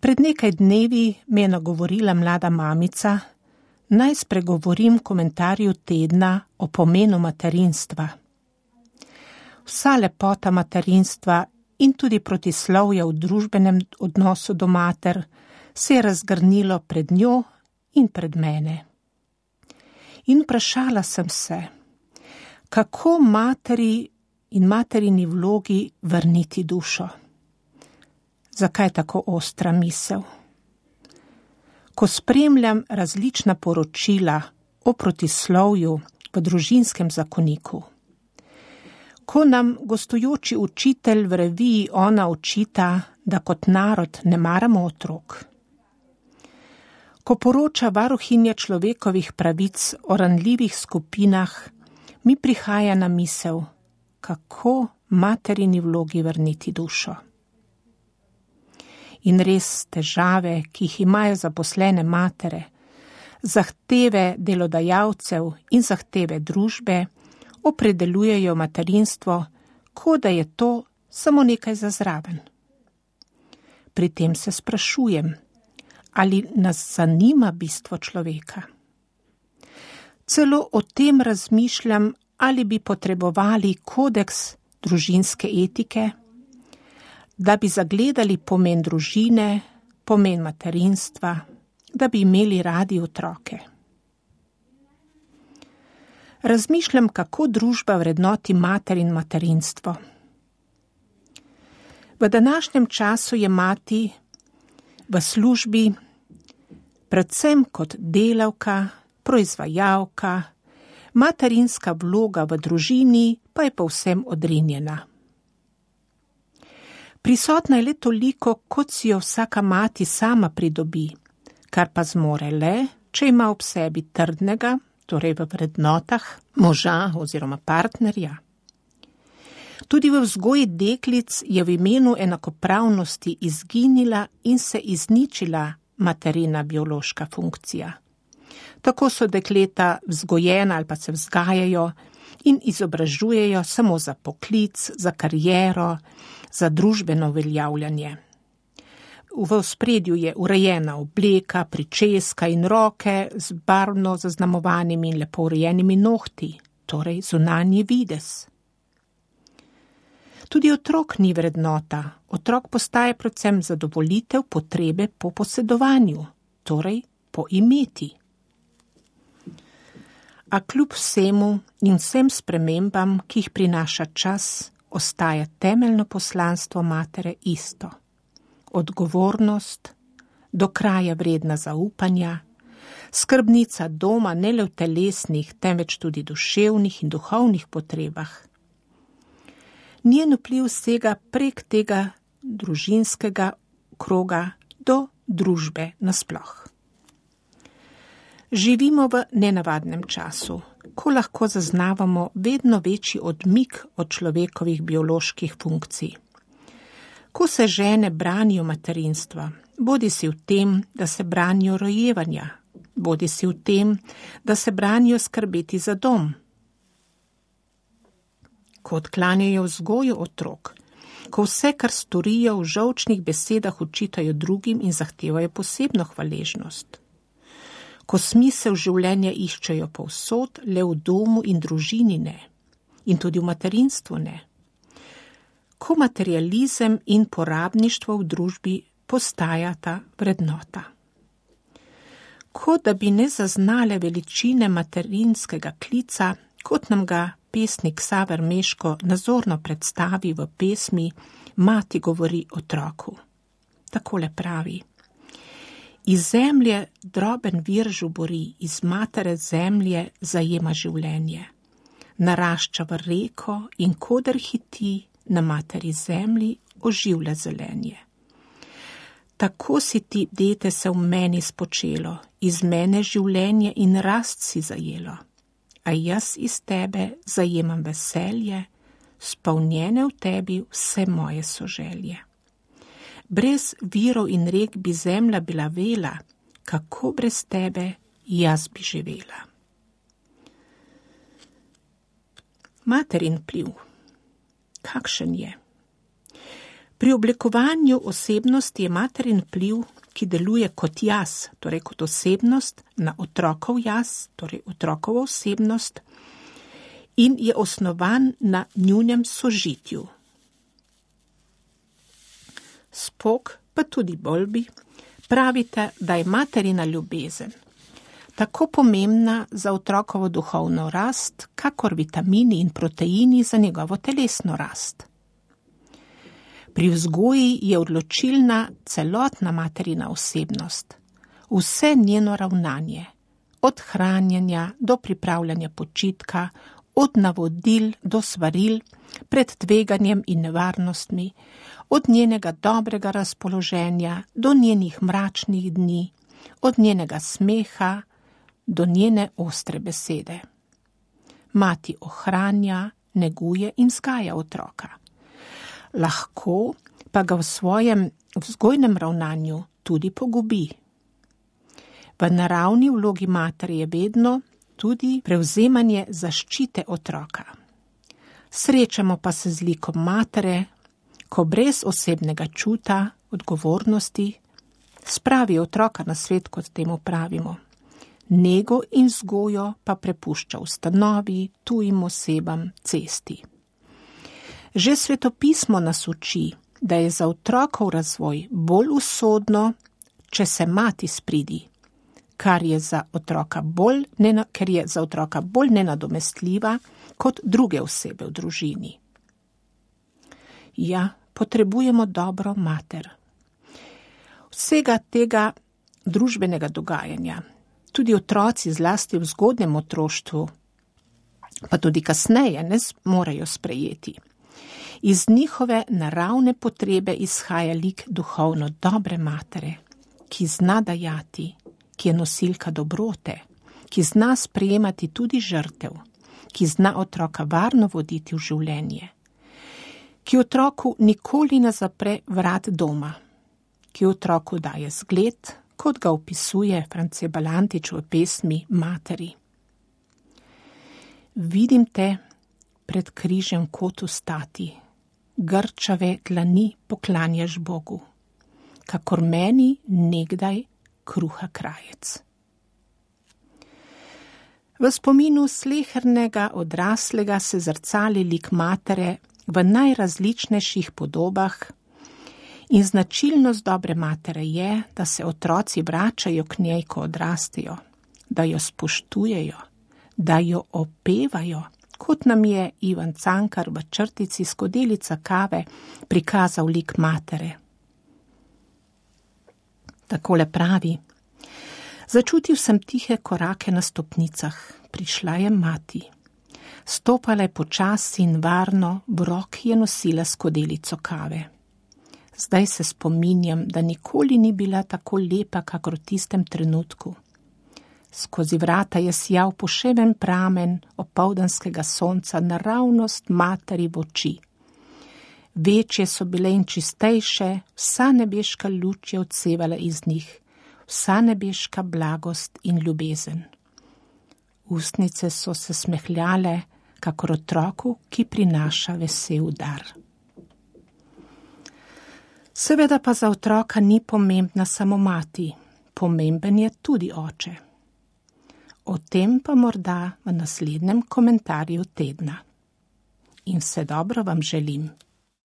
Pred nekaj dnevi me je nagovorila mlada mamica, naj spregovorim komentarju tedna o pomenu materinstva. Vsa lepota materinstva in tudi protislovja v družbenem odnosu do mater se je razgrnilo pred njo in pred mene. In vprašala sem se, kako materi in materini vlogi vrniti dušo. Zakaj tako ostra misel? Ko spremljam različna poročila o protislovju v družinskem zakoniku, ko nam gostujoči učitelj v reviji Ona očita, da kot narod ne maramo otrok, ko poroča varuhinja človekovih pravic o ranljivih skupinah, mi prihaja na misel, kako materini vlogi vrniti dušo. In res težave, ki jih imajo zaposlene matere, zahteve delodajalcev in zahteve družbe, opredeljujejo materinstvo, kot da je to samo nekaj za zraven. Pri tem se sprašujem, ali nas zanima bistvo človeka. Celo o tem razmišljam, ali bi potrebovali kodeks družinske etike, da bi zagledali pomen družine, pomen materinstva, da bi imeli radi otroke. Razmišljam, kako družba vrednoti mater in materinstvo. V današnjem času je mati v službi predvsem kot delavka, proizvajalka, materinska vloga v družini pa je povsem odrinjena. Prisotna je le toliko, kot si jo vsaka mati sama pridobi, kar pa zmore le, če ima ob sebi trdnega, torej v vrednotah, moža oziroma partnerja. Tudi v vzgoji deklic je v imenu enakopravnosti izginila in se izničila materina biološka funkcija. Tako so dekleta vzgojena ali pa se vzgajajo in izobražujejo samo za poklic, za kariero, za družbeno uveljavljanje. V ospredju je urejena obleka, pričeska in roke z barvno zaznamovanimi in lepo urejenimi nohti, torej zunanji videz. Tudi otrok ni vrednota. Otrok postaje predvsem zadovoljitev potrebe po posedovanju, torej po imeti. A kljub vsemu in vsem spremembam, ki jih prinaša čas, ostaja temeljno poslanstvo matere isto. Odgovornost, do kraja vredna zaupanja, skrbnica doma ne le v telesnih, temveč tudi duševnih in duhovnih potrebah. Njen vpliv sega prek tega družinskega kroga do družbe nasploh. Živimo v nenavadnem času, ko lahko zaznavamo vedno večji odmik od človekovih bioloških funkcij. Ko se žene branijo materinstva, bodisi v tem, da se branijo rojevanja, bodisi v tem, da se branijo skrbeti za dom. Ko odklanjajo vzgojo otrok, ko vse, kar storijo v žolčnih besedah, učitajo drugim in zahtevajo posebno hvaležnost. Ko smisel življenja iščejo povsod, le v domu in družini ne, in tudi v materinstvu ne. Ko materializem in porabništvo v družbi postajata vrednota. Kot da bi ne zaznale veličine materinskega klica, kot nam ga pesnik Ksaver Meško nazorno predstavi v pesmi Mati govori otroku. Takole pravi: Iz zemlje droben vir žubori, iz matere zemlje zajema življenje. Narašča v reko in koder hiti, na materi zemlji oživlja zelenje. Tako si ti, dete, se v meni spočelo, iz mene življenje in rast si zajelo. A jaz iz tebe zajemam veselje, spolnjene v tebi vse moje soželje. Brez virov in rek bi zemlja bila vela, kako brez tebe jaz bi živela. Materin vpliv. Kakšen je? Pri oblikovanju osebnosti je materin vpliv, ki deluje kot jaz, torej kot osebnost, na otrokov jaz, torej otrokovo osebnost, in je osnovan na njunem sožitju. Spock, pa tudi Bowlby, pravite, da je materina ljubezen tako pomembna za otrokovo duhovno rast, kakor vitamini in proteini za njegovo telesno rast. Pri vzgoji je odločilna celotna materina osebnost, vse njeno ravnanje, od hranjenja do pripravljanja počitka, od navodil do svaril, pred tveganjem in nevarnostmi, od njenega dobrega razpoloženja do njenih mračnih dni, od njenega smeha do njene ostre besede. Mati ohranja, neguje in vzgaja otroka. Lahko pa ga v svojem vzgojnem ravnanju tudi pogubi. V naravni vlogi matere je vedno tudi prevzemanje zaščite otroka. Srečamo pa se z likom matere, ko brez osebnega čuta, odgovornosti, spravi otroka na svet, kot temu pravimo. Nego in vzgojo pa prepušča ustanovi, tujim osebam, cesti. Že svetopismo nas uči, da je za otrokov razvoj bolj usodno, če se mati spridi, ker je za otroka bolj nenadomestljiva kot druge osebe v družini. Ja, potrebujemo dobro mater. Vsega tega družbenega dogajanja, tudi otroci zlasti v zgodnjem otroštvu, pa tudi kasneje ne morejo sprejeti. Iz njihove naravne potrebe izhaja lik duhovno dobre matere, ki zna dajati, ki je nosilka dobrote, ki zna sprejemati tudi žrtev, ki zna otroka varno voditi v življenje, ki otroku nikoli ne zapre vrat doma, ki otroku daje zgled, kot ga opisuje France Balantič v pesmi Materi. Vidim te pred križem kotu stati, grčave dlani poklanjaš Bogu, kakor meni nekdaj kruha krajec. V spominu slehernega odraslega se zrcali lik matere v najrazličnejših podobah in značilnost dobre matere je, da se otroci vračajo k njej, ko odrastejo, da jo spoštujejo, da jo opevajo, kot nam je Ivan Cankar v črtici Skodelica kave prikazal lik matere. Takole pravi: Začutil sem tihe korake na stopnicah, prišla je mati. Stopala je počasi in varno, v roki je nosila skodelico kave. Zdaj se spominjam, da nikoli ni bila tako lepa, kakor v tistem trenutku. Skozi vrata je sijal poševen pramen opoldanskega sonca naravnost materi v oči. Večje so bile in čistejše, vsa nebeška luč je odsevala iz njih, vsa nebeška blagost in ljubezen. Ustnice so se smehljale, kakor otroku, ki prinaša vesel dar. Seveda pa za otroka ni pomembna samo mati, pomemben je tudi oče. O tem pa morda v naslednjem komentarju tedna. In vse dobro vam želim.